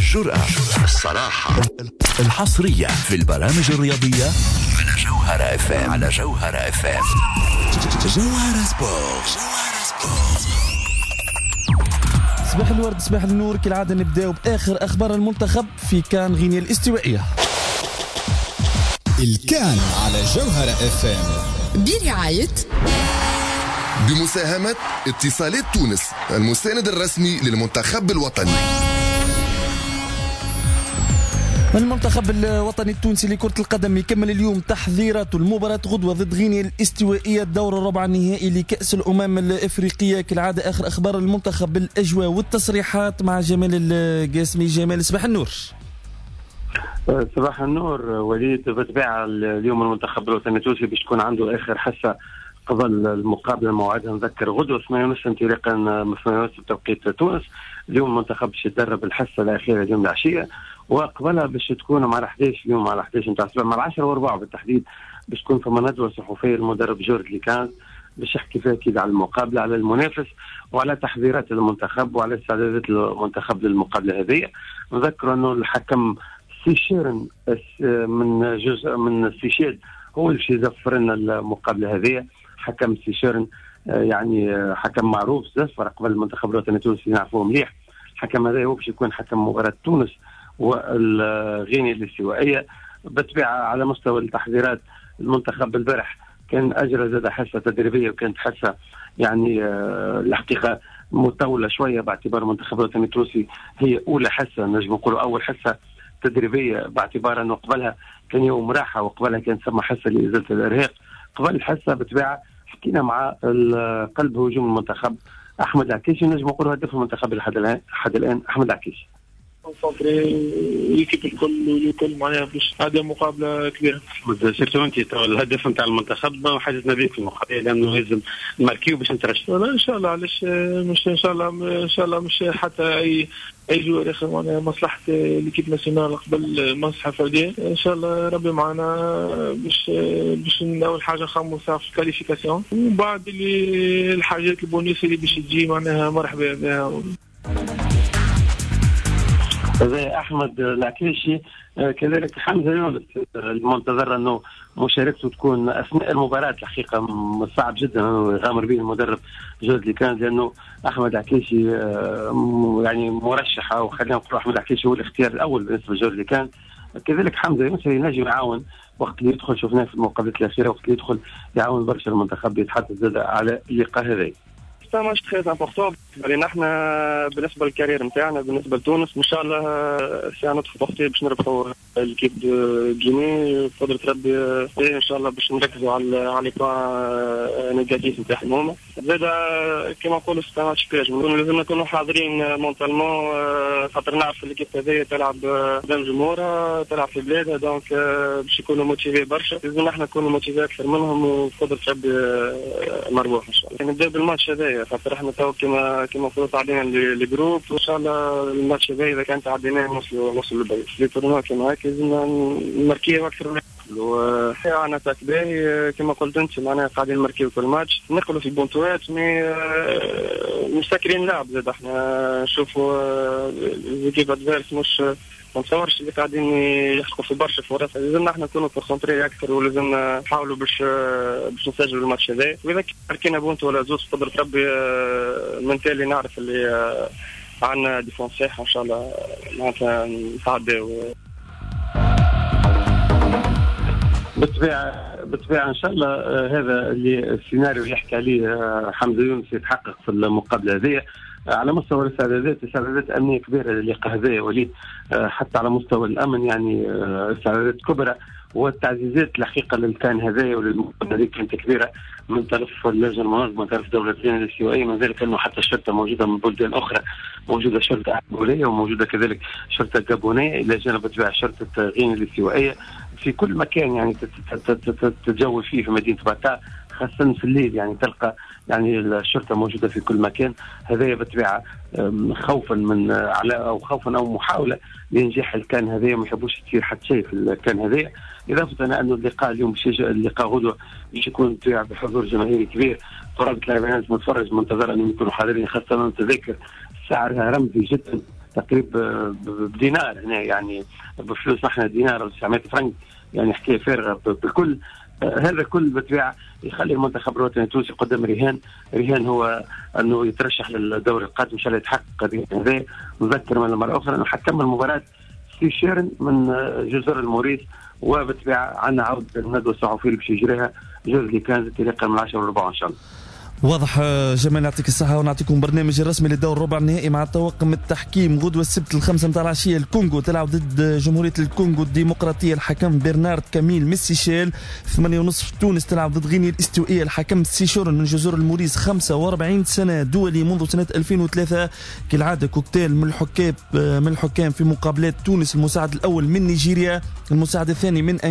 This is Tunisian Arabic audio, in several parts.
الجرأة، الصراحة، الحصرية في البرامج الرياضية على جوهرة FM. على جوهرة FM. جوهرة Sport. جوهرة Sport. صباح الورد، صباح النور. كالعادة نبداو بآخر أخبار المنتخب في CAN غينيا الاستوائية. الكان على جوهرة FM برعاية بمساهمة اتصالات تونس، المساند الرسمي للمنتخب الوطني. المنتخب الوطني التونسي لكرة القدم يكمل اليوم تحضيراته المباراة غدوة ضد غينيا الاستوائية، الدور الربع النهائي لكأس الأمم الإفريقية. كالعادة آخر أخبار المنتخب بالأجواء والتصريحات مع جمال القاسمي. جمال، صباح النور. صباح النور وليد. بالطبيعة اليوم المنتخب الوطني التونسي باش تكون عنده آخر حصة قبل المقابلة موعدها نذكر غدوة 8:30 انطلاقا من 8:30 بتوقيت تونس. اليوم المنتخب باش يتدرب الحصة الأخيرة اليوم العشية، وقبلها باش تكون مع 11 اليوم على 11 نتاع الصباح، مع 10:15 بالتحديد، باش تكون فما ندوة صحفية للمدرب جورج ليكانز باش يحكي فيها أكيد على المقابلة، على المنافس، وعلى تحضيرات المنتخب، وعلى استعدادات المنتخب للمقابلة هذه. نذكر أنه الحكم سيشيرن من جزء من سيشيل هو اللي باش يزفر لنا المقابلة هذه. حكم سيشيرن يعني حكم معروف، زفر قبل المنتخب الوطني التونسي، نعرفوه مليح. الحكم هذا هو باش يكون حكم مباراة تونس والغينيا الاستوائية. بالطبيعة على مستوى التحضيرات المنتخب البارح كان أجرى زاد حصة تدريبية، وكانت حصة يعني الحقيقة مطولة شوية باعتبار المنتخب الوطني التونسي هي أولى حصة، نجم نقولوا أول حصة تدريبية، باعتبار أنه قبلها كان يوم راحة، وقبلها كان ثم حصة لإزالة الإرهاق. قبل الحصة بالطبيعة حكينا مع قلب هجوم المنتخب أحمد العكيشي، نجم نقولوا هداف المنتخب لحد الآن أحمد العكيشي. concentré l'équipe الكل والكل معناها باش هذه مقابله كبيرة. surtout انت الهدف نتاع المنتخب وحاجتنا بك في المقابلة، لانه لازم نماركيو باش نترشحوا. لا ان شاء الله، علاش مش ان شاء الله، ان شاء الله مش حتى اي joueur اخر، معناها مصلحة l'équipe nationale قبل مصلحة فردية. ان شاء الله ربي معنا باش اول حاجة نخمو في ال qualification، ومن بعد اللي الحاجات البونيس اللي باش تجي معناها مرحبا بها. هذا احمد العكيشي. كذلك حمزة يونس المنتظر انه مشاركته تكون اثناء المباراة. الحقيقة صعب جدا انه يغامر به المدرب جورج ليكان، لانه احمد العكيشي يعني مرشح، او خلينا نقول احمد العكيشي هو الاختيار الاول بالنسبة لجورج ليكان. كذلك حمزة يونس ينجم يعاون وقت اللي يدخل، شفناه في المقابلات الاخيرة وقت اللي يدخل يعاون برشا المنتخب. يتحدث زاد على اللقاء هذا. c'est un match très important علينا احنا بالنسبة لل carrière نتاعنا، بالنسبة لتونس. ان شاء الله c'est à notre portée باش نربحوا l'équipe de Guinée بقدره ربي. ان شاء الله باش نركزوا على les points négatifs نتاعهم هما. زاد كيما نقولوا c'est un match piège، لازم نكونوا حاضرين mentalement، خاطر نعرف l'équipe هذيا تلعب قدام جمهورها، تلعب في بلادها، donc باش يكونوا motivés برشا. لازم احنا نكونوا motivés اكثر منهم، وبقدره ربي مربوح ان شاء الله. نبداو بالماتش هذايا، خاطر احنا تو كما فرض علينا les groupes، وان شاء الله الماتش هذا اذا كان تعديناه نوصلوا للبعيد. les tournois كيما هكا لازم نماركيو اكثر من عندنا attaque باهي كما قلت انت، معناها قاعدين نماركيو كل ماتش، نقلوا في بونتوات، mais مسكرين لعب زاد. احنا نشوفوا l'équipe adverse مش ما نتصورش اللي قاعدين يحققوا في برشا فرص. لازمنا احنا نكونوا concentrés اكثر، ولازم نحاولوا باش نسجلوا الماتش هذا. واذا ماركينا بونت ولا زوز بقدرة ربي من تالي نعرف اللي عندنا défense صحيحه ان شاء الله معناتها نتعداو. بالطبيعة ان شاء الله هذا اللي السيناريو اللي يحكي عليه حمزة يونس يتحقق في المقابلة هذه. على مستوى الاستعدادات، استعدادات امنية كبيرة للقاء هذا وليد، حتى على مستوى الامن يعني استعدادات كبرى، والتعزيزات الحقيقة للكان هذايا وللمقابله هذه كانت كبيرة من طرف اللجنة المنظمة، من طرف دولة غينيا الاستوائيه، من ذلك انه حتى الشرطة موجودة من بلدان اخرى، موجودة شرطه انغوليه وموجودة كذلك شرطه جابونيه، الى جانب بالطبيعة شرطه غينيا الاستوائيه. في كل مكان يعني تتجول فيه في مدينة باتا، خاصة في الليل يعني تلقى يعني الشرطة موجودة في كل مكان. هذا بالطبيعة خوفا من على او خوفا او محاولة لإنجاح الكان هذايا، ما يحبوش تصير حتى شيء في الكان هذايا. اضافه الى انه اللقاء اليوم اللقاء غدوه باش يكون بحضور جماهيري كبير، قرابة 40,000 متفرج منتظر انهم يكونوا حاضرين، خاصة التذاكر سعرها رمزي جدا. تقريبا بدينار هنا، يعني بفلوس احنا دينار 900 فرنك، يعني حكاية فارغة بالكل. هذا كل بالطبيعة يخلي المنتخب الوطني التونسي قدام رهان هو انه يترشح للدور القادم، ان شاء الله يتحقق هذا. نذكر من مرة اخرى انه حكم المباراة سيشيرن من جزر الموريس، وبالطبيعه عندنا عوده الندوة الصحفية اللي باش يجريها جوز كانز انطلاقا من 10:15 ان شاء الله. واضح جمال، يعطيك الصحة، ونعطيكم برنامج الرسمي للدور الربع النهائي مع طواقم التحكيم غدوة السبت 5 متاع العشية. الكونغو تلعب ضد جمهورية الكونغو الديمقراطية، الحكم برنارد كاميل من السيشيل. 8:30 تونس تلعب ضد غينيا الاستوائية، الحكم سيشورن من جزر الموريس، 45 سنة دولي منذ سنة 2003. كالعادة كوكتيل من الحكام في مقابلات تونس، المساعد الأول من نيجيريا، المساعد الثاني من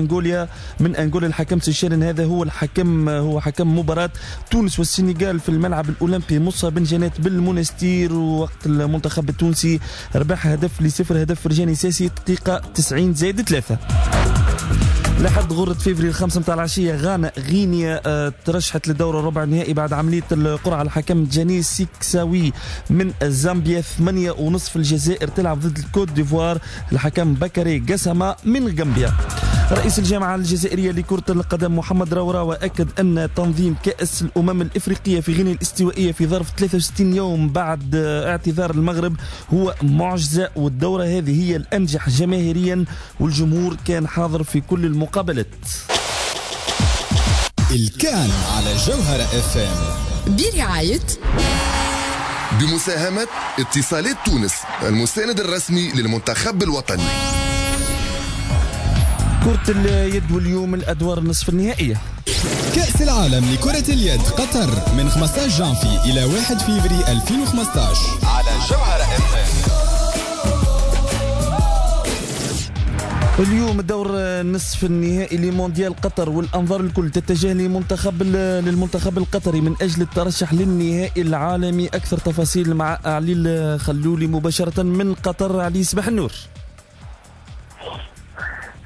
أنغولا الحكم سيشيرن. هذا هو الحكم، هو حكم مباراة تونس والسنغال في الملعب الأولمبي مصا بن جنات بالمونستير. وقت المنتخب التونسي ربح 0-0، هدف فرجاني ساسي دقيقة 90+3. لحد غرة فيفري 5 متاع العشية غانا غينيا ترشحت للدور الربع النهائي بعد عملية القرعة، الحكم جاني سيكساوي من زامبيا. 8:30 الجزائر تلعب ضد الكوت ديفوار، الحكم بكري قسمة من غامبيا. رئيس الجامعة الجزائرية لكرة القدم محمد روراوة أكد أن تنظيم كأس الأمم الإفريقية في غينيا الاستوائية في ظرف 63 يوم بعد اعتذار المغرب هو معجزة، والدورة هذه هي الأنجح جماهيريا والجمهور كان حاضر في كل المقابلات. الكان على جوهرة اف ام برعاية بمساهمة اتصالات تونس المساند الرسمي للمنتخب الوطني. كرة اليد واليوم الأدوار النصف النهائية. كأس العالم لكرة اليد قطر من 15 جانفي إلى 1 فيفري 2015 على جوهرة اف ام. اليوم الدور النصف النهائي لمونديال قطر، والأنظار الكل تتجه للمنتخب القطري من أجل الترشح للنهائي العالمي. أكثر تفاصيل مع علي الخلولي مباشرة من قطر. علي، صباح النور.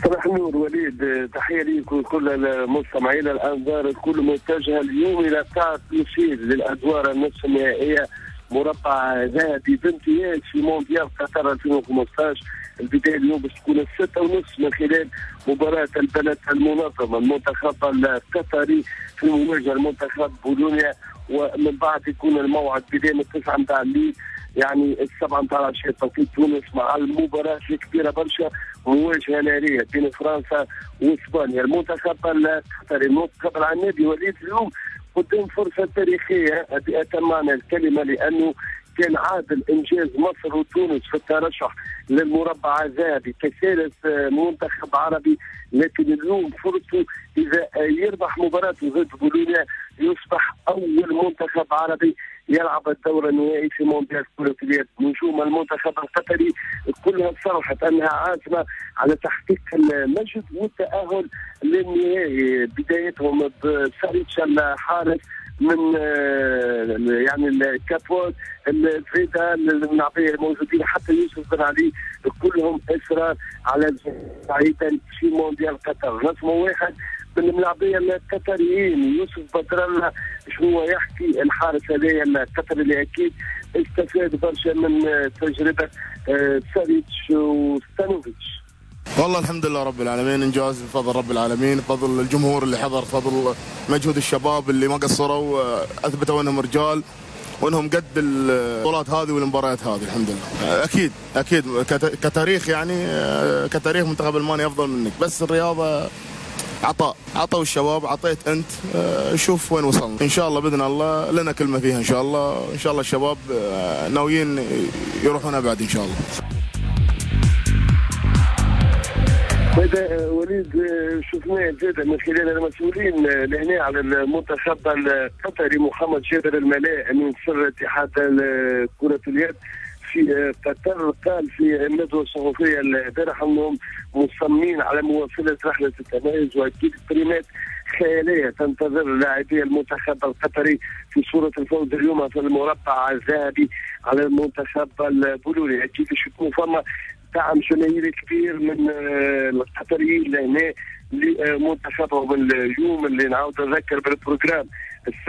صباح النور وليد، تحية ليك وكل المستمعين. الأنظار الكل متجهة اليوم إلى قاعة لوسيل للأدوار النصف النهائية، مربع ذهبي بامتياز في مونديال قطر 2015. البداية اليوم باش تكون 6:30 من خلال مباراة البلد المنظمة المنتخب القطري في مواجهة المنتخب بولونيا، ومن بعد يكون الموعد بداية 9 متاع الليل، يعني 7 متاع العشية توقيت تونس، مع المباراة الكبيرة برشا، مواجهة نارية بين فرنسا واسبانيا. المنتخب القطري المنتخب العنابي وليد اليوم قدام فرصة تاريخية بأتم معنى الكلمة، لأنه كان عادل إنجاز مصر وتونس في الترشح للمربع الذهبي كثالث منتخب عربي، لكن اليوم فرصته إذا يربح مباراته ضد بولونيا يصبح أول منتخب عربي يلعب الدور النهائي في مونديال كرة اليد. نجوم المنتخب القطري كلها صرحت أنها عازمة على تحقيق المجد والتأهل للنهائي، بدايتهم بساريتش الحارس من يعني الكابوت الفيدا النعبية الموجودين، حتى يوسف بن علي، كلهم إصرار على بعيدا في مونديال قطر. رسم واحد من الملاعبية القطريين يوسف بدرالله شنو يحكي الحارس هذايا القطري اللي اكيد استفاد برشا من تجربة ساريتش وستانوفيتش. والله الحمد لله رب العالمين، انجاز بفضل رب العالمين، بفضل الجمهور اللي حضر، بفضل مجهود الشباب اللي ما قصروا، اثبتوا انهم رجال وانهم قد البطولات هذه والمباريات هذه. الحمد لله. اكيد اكيد كتاريخ، يعني كتاريخ منتخب المانيا افضل منك، بس الرياضة عطاء، عطوا الشباب، عطيت انت، شوف وين وصلنا. ان شاء الله باذن الله لنا كلمة فيها ان شاء الله. ان شاء الله الشباب ناويين يروحون ابعد ان شاء الله. هذا وليد شفناه زاد من خلال المسؤولين لهنا على المنتخب القطري محمد جابر الملاء من سر اتحاد كرة اليد في قطر، قال في الندوة الصحفية البارحة انهم مصممين على مواصلة رحلة التميز، واكيد بريمات خيالية تنتظر لاعبي المنتخب القطري في صورة الفوز اليوم في المربع الذهبي على المنتخب البولوني. اكيد باش يكون فما دعم جماهيري كبير من القطريين لهنا لمنتخبهم اليوم، اللي نعاود نذكر بال programme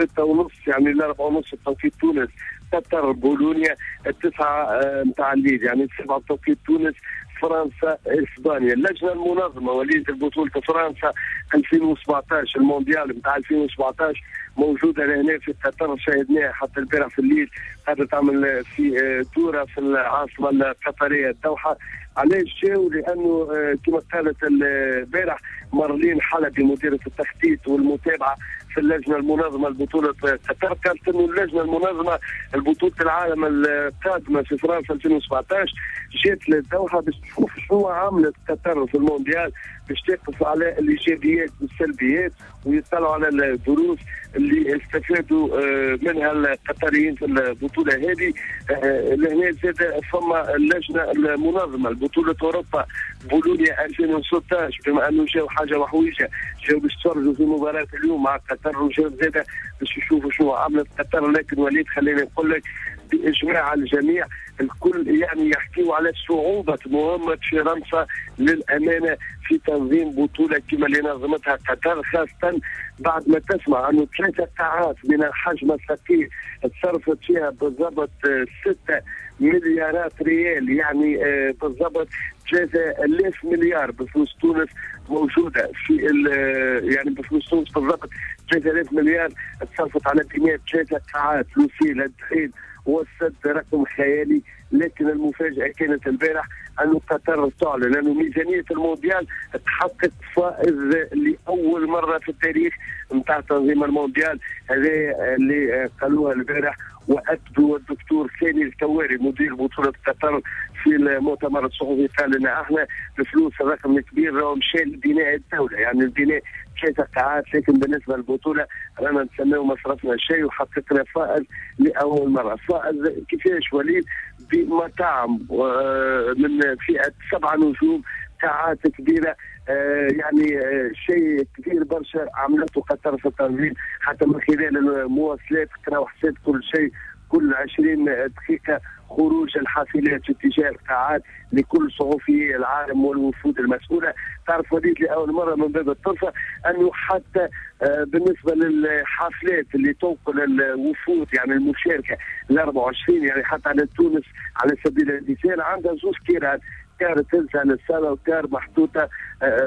6:30 يعني 4:30 بتوقيت تونس، قطر بولونيا 9 نتاع الليل، يعني 7 بتوقيت تونس، فرنسا اسبانيا. اللجنة المنظمة وليد البطولة فرنسا 2017 المونديال نتاع 2017 موجودة لهنا في قطر، شاهدناها حتى البارح في الليل قاعدة تعمل في دوره في العاصمة القطرية الدوحة. علاش جاوا؟ لانه كما قالت البارح مارلين حلبي مديره التخطيط والمتابعة في اللجنة المنظمة لبطولة قطر، قالت انه اللجنة المنظمة لبطولة العالم القادمة في فرنسا 2017 جات للدوحه باش تشوف شنو عملت قطر في المونديال، باش تقف على الايجابيات والسلبيات ويطلعوا على الدروس اللي استفادوا منها القطريين في البطولة هذه. لهنا زاد فما اللجنة المنظمة لبطولة اوروبا بولونيا 2016، بما انه جاوا حاجة وحويجه، جاوا باش يتفرجوا في مباراة اليوم مع قطر، وجاوا زاد باش يشوفوا شنو عملت قطر. لكن وليد خليني نقول لك باجماع الجميع الكل يعني يحكيوا على صعوبة مهمة فرنسا للامانة في تنظيم بطوله كما اللي نظمتها قطر، خاصة بعد ما تسمع انه 3 قاعات من الحجم الثقيل تصرفت فيها بالضبط 6 مليارات ريال، يعني بالضبط 3000 مليار بفلوس تونس موجودة في يعني بفلوس تونس بالضبط 3000 مليار تصرفت على بناء 3 قاعات، لوسيل، الدخيل والسد، رقم خيالي. لكن المفاجأة كانت البارح أن قطر تعلن أن ميزانية المونديال تحقق فائض لأول مرة في التاريخ نتاع تنظيم المونديال، هذا اللي قالوها البارح وأكدوا الدكتور ثاني الكواري مدير بطولة قطر في المؤتمر الصحفي، قال لنا احنا الفلوس الرقم الكبير مشى لبناء الدولة، يعني البناء 3 قاعات، لكن بالنسبة للبطولة رانا نسميو ما صرفنا شيء وحققنا فائض لأول مرة. فائض كيفاش وليد؟ بمطاعم من فئة 7 نجوم، قاعات كبيرة، يعني شيء كبير برشا عملته قطر في التنظيم، حتى من خلال المواصلات قراو حساب كل شيء، كل 20 دقيقة خروج الحافلات في اتجاه القاعات لكل صحفي العالم والوفود المسؤولة. تعرف وليد لأول مرة من باب الطرفة أنه حتى بالنسبة للحافلات اللي تنقل الوفود يعني المشاركة ال 24، يعني حتى على تونس على سبيل المثال عندها 2 كيران، كار تنزل للصالة وكار محطوطة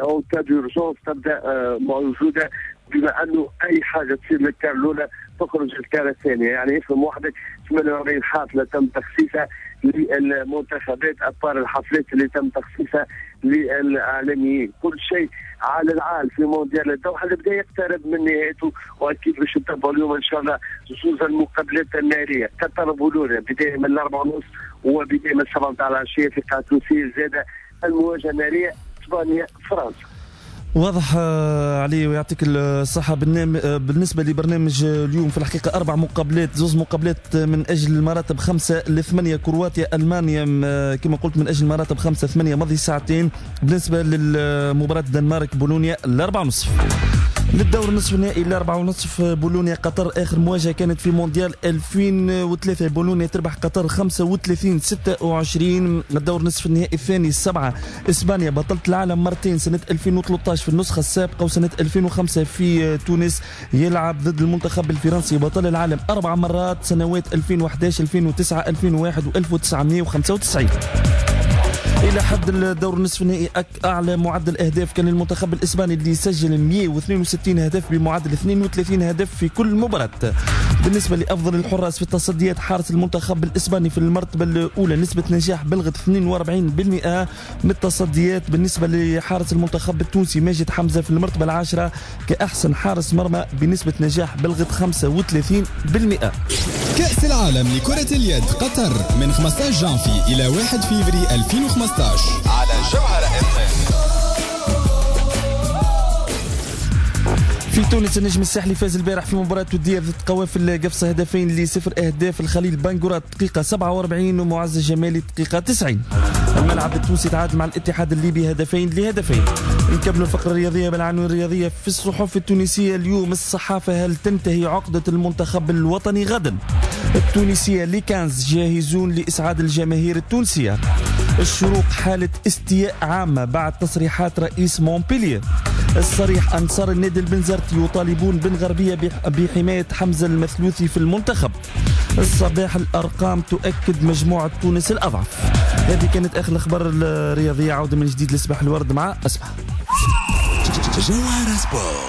en cas d'urgence تبدا موجودة، بما انه اي حاجة تصير للكار الاولى تخرج الكار الثانية، يعني افهم وحدك 48 حافلة تم تخصيصها للمنتخبات، à part الحفلات اللي تم تخصيصها للاعلاميين، كل شيء على العال في مونديال الدوحة اللي بدا يقترب من نهايته، واكيد باش نتابعوا اليوم ان شاء الله زوز المقابلات النارية، قطر بولونيا بداية من 4:30 وبداية من 7 نتاع العشية في قاعة لوسيل، زاده المواجهة النارية اسبانيا فرنسا. واضح علي ويعطيك الصحة. بالنسبة لبرنامج اليوم في الحقيقة 4 مقابلات، 2 مقابلات من أجل المراتب 5 ل8، كرواتيا ألمانيا كما قلت من أجل المراتب 5 8 ماضي ساعتين. بالنسبة للمباراة الدنمارك بولونيا 4:30. للدور النصف النهائي 4:30 بولونيا قطر، آخر مواجهة كانت في مونديال 2003، بولونيا تربح قطر 35-26. الدور النصف النهائي الثاني 7 إسبانيا بطلة العالم مرتين سنة 2013 في النسخة السابقة وسنة 2005 في تونس، يلعب ضد المنتخب الفرنسي بطل العالم 4 مرات سنوات 2011 2009 2001 و1995. إلى حد الدور النصف النهائي أعلى معدل أهداف كان المنتخب الإسباني اللي سجل 162 هدف بمعدل 32 هدف في كل مباراة. بالنسبة لأفضل الحراس في التصديات، حارس المنتخب الإسباني في المرتبة الأولى نسبة نجاح بلغت 42% من التصديات. بالنسبة لحارس المنتخب التونسي ماجد حمزة في المرتبة العاشرة كأحسن حارس مرمى بنسبة نجاح بلغت 35%. كأس العالم لكرة اليد قطر من 15 جانفي إلى 1 فيفري 2015 على جوهرة FM. في تونس النجم الساحلي فاز البارح في مباراة ودية ضد قوافل قفصة 2-0 أهداف الخليل بانغورا دقيقة 47 ومعز الجمالي دقيقة 90. الملعب التونسي تعادل مع الاتحاد الليبي 2-2. نكملوا الفقرة الرياضية بالعناوين الرياضية في الصحف التونسية اليوم. الصحافة: هل تنتهي عقدة المنتخب الوطني غدا؟ التونسية: les quinze جاهزون لإسعاد الجماهير التونسية. الشروق: حالة استياء عامة بعد تصريحات رئيس مونبلييه. الصريح أنصار النادي البنزرتي يطالبون بن غربية بحماية حمزة المثلوثي في المنتخب. الصباح الأرقام تؤكد مجموعة تونس الأضعف. هذه كانت آخر الأخبار الرياضية. عودة من جديد لصباح الورد مع أسماء. جوهرة سبور.